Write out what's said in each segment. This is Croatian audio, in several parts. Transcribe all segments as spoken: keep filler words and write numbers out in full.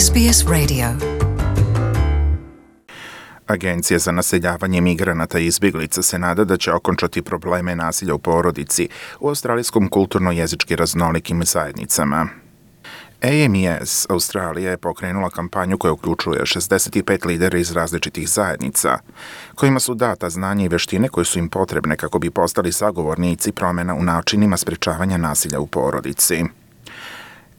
S B S Radio. Agencija za naseljavanje migranata i izbjeglica se nada da će okončati probleme nasilja u porodici u australijskom kulturno-jezički raznolikim zajednicama. A M E S Australija je pokrenula kampanju koja uključuje šezdeset pet lidera iz različitih zajednica, kojima su data znanja i veštine koje su im potrebne kako bi postali sagovornici promjena u načinima sprečavanja nasilja u porodici.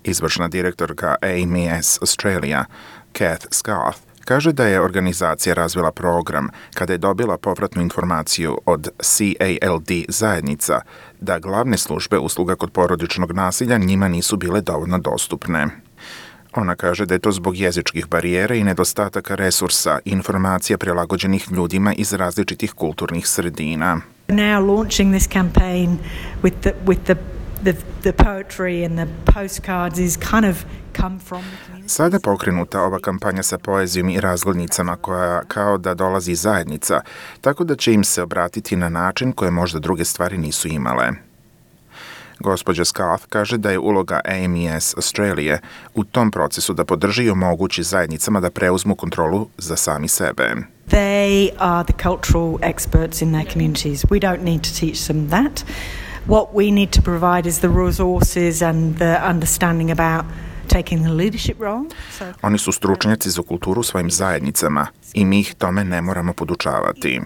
Izvršna direktorka A M E S Australia, Kath Scarth, kaže da je organizacija razvila program kada je dobila povratnu informaciju od C A L D zajednica da glavne službe usluga kod porodičnog nasilja njima nisu bile dovoljno dostupne. Ona kaže da je to zbog jezičkih barijera i nedostataka resursa i informacija prilagođenih ljudima iz različitih kulturnih sredina. Now launching this campaign with the with the the the poetry and the postcards is kind of come from the community. Sada pokrenuta ova kampanja sa poezijom i razglednicama koja kao da dolazi iz zajednica, tako da će im se obratiti na način koje možda druge stvari nisu imale. Gospođa Scarth kaže da je uloga A M E S Australije u tom procesu da podrži i omogući zajednicama da preuzmu kontrolu za sami sebe. They are the cultural experts in their communities. We don't need to teach them that. What we need to provide is the resources and the understanding about taking the leadership role. So, Oni su stručnjaci za kulturu u svojim zajednicama i mi ih tome ne moramo podučavati.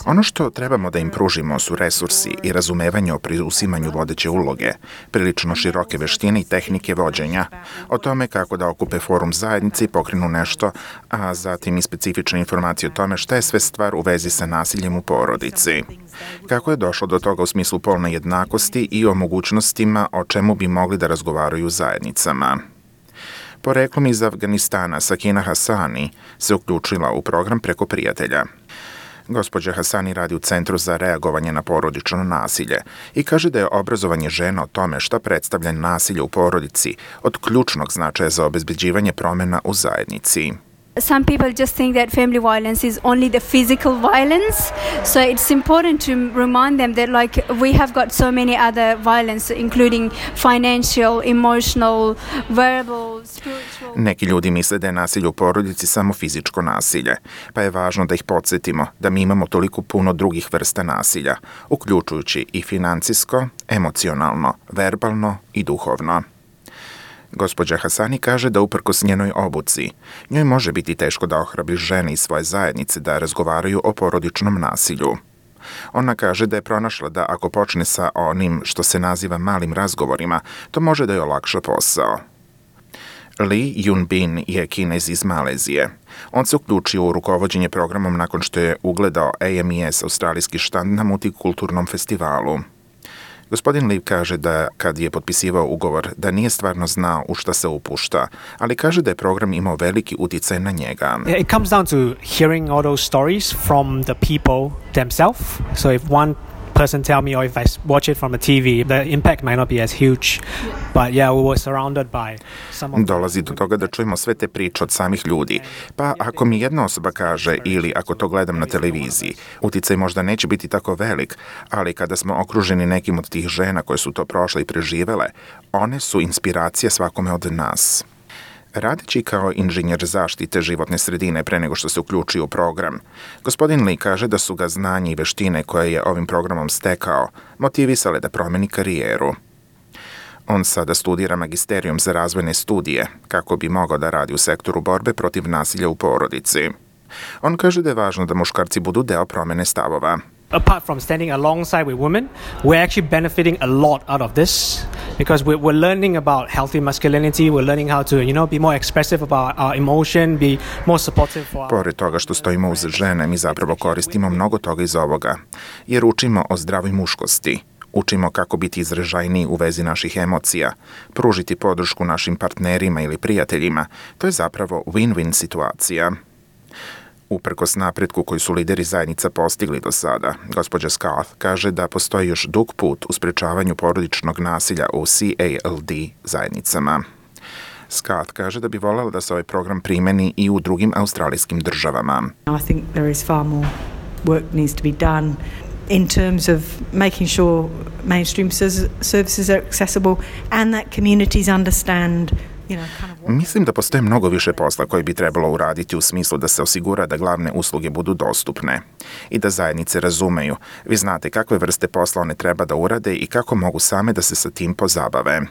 Ono što trebamo da im pružimo su resursi i razumevanje o preuzimanju vodeće uloge, prilično široke veštine i tehnike vođenja, o tome kako da okupe forum zajednice i pokrenu nešto, a zatim i specifične informacije o tome šta je sve stvar u vezi sa nasiljem u porodici. Kako je došlo do toga u smislu polne jednakosti i o mogućnostima o čemu bi mogli da razgovaraju u zajednicama. Poreklom iz Afganistana, Sakina Hasani se uključila u program preko prijatelja. Gospođa Hasani radi u Centru za reagovanje na porodično nasilje i kaže da je obrazovanje žena o tome šta predstavlja nasilje u porodici od ključnog značaja za obezbeđivanje promjena u zajednici. Some people just think that family violence is only the physical violence, so it's important to remind them that like we have got so many other violence, including financial, emotional, verbal, spiritual. Neki ljudi misle da je nasilje u porodici samo fizičko nasilje, pa je važno da ih podsjetimo da mi imamo toliko puno drugih vrsta nasilja, uključujući i financijsko, emocionalno, verbalno i duhovno. Gospođa Hasani kaže da uprkos njenoj obuci, njoj može biti teško da ohrabri žene iz svoje zajednice da razgovaraju o porodičnom nasilju. Ona kaže da je pronašla da ako počne sa onim što se naziva malim razgovorima, to može da joj olakša posao. Lee Yun Bin je Kinez iz Malezije. On se uključio u rukovođenje programom nakon što je ugledao A M E S australijski štand na multikulturnom festivalu. Gospodin Lee kaže da kad je potpisivao ugovor da nije stvarno znao u šta se upušta, ali kaže da je program imao veliki uticaj na njega. It comes down to hearing all those stories from the people themselves. So if one person tell me or if I watch it from a T V, the impact might not be as huge. But yeah, we were surrounded by some of Dolazi do toga da čujemo sve te priče od samih ljudi. Pa ako mi jedna osoba kaže ili ako to gledam na televiziji, uticaj možda neće biti tako velik, ali kada smo okruženi nekim od tih žena koje su to prošle i preživele, one su inspiracija svakome od nas. Radeći kao inženjer zaštite životne sredine pre nego što se uključio u program, gospodin Lee kaže da su ga znanje i veštine koje je ovim programom stekao motivisale da promeni karijeru. On sada studira magisterijum za razvojne studije kako bi mogao da radi u sektoru borbe protiv nasilja u porodici. On kaže da je važno da muškarci budu deo promene stavova. Apart from standing alongside with women, we're actually benefiting a lot out of this because we're, we're learning about healthy masculinity, we're learning how to, you know, be more expressive about our emotion, be more supportive for our... Pored toga što stojimo uz žene, mi zapravo koristimo mnogo toga iz ovoga, jer učimo o zdravoj muškosti. Učimo kako biti izražajniji u vezi naših emocija, pružiti podršku našim partnerima ili prijateljima. To je zapravo win-win situacija. Uprkos napretku koji su lideri zajednica postigli do sada, gospođa Scarth kaže da postoji još dug put u sprečavanju porodičnog nasilja u C A L D zajednicama. Scarth kaže da bi voljela da se ovaj program primeni i u drugim australijskim državama. I think there is far more work needs to be done in terms of making sure mainstream services are accessible and that communities understand Mislim da postoje mnogo više posla koji bi trebalo uraditi u smislu da se osigura da glavne usluge budu dostupne i da zajednice razumeju. Vi znate kakve vrste posla one treba da urade i kako mogu same da se sa tim pozabave.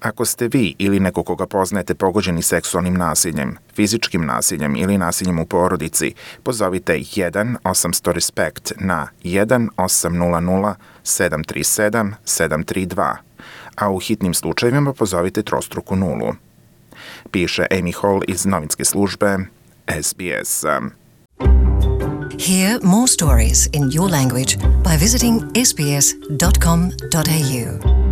Ako ste vi ili neko koga poznajete pogođeni seksualnim nasiljem, fizičkim nasiljem ili nasiljem u porodici, pozovite jedan osamsto respekt na jedan osam nula nula sedam tri sedam sedam tri dva, a u hitnim slučajevima pozovite trostruku nulu. Piše Amy Hall iz novinske službe S B S. Hear more stories in your language by visiting s b s dot com dot a u.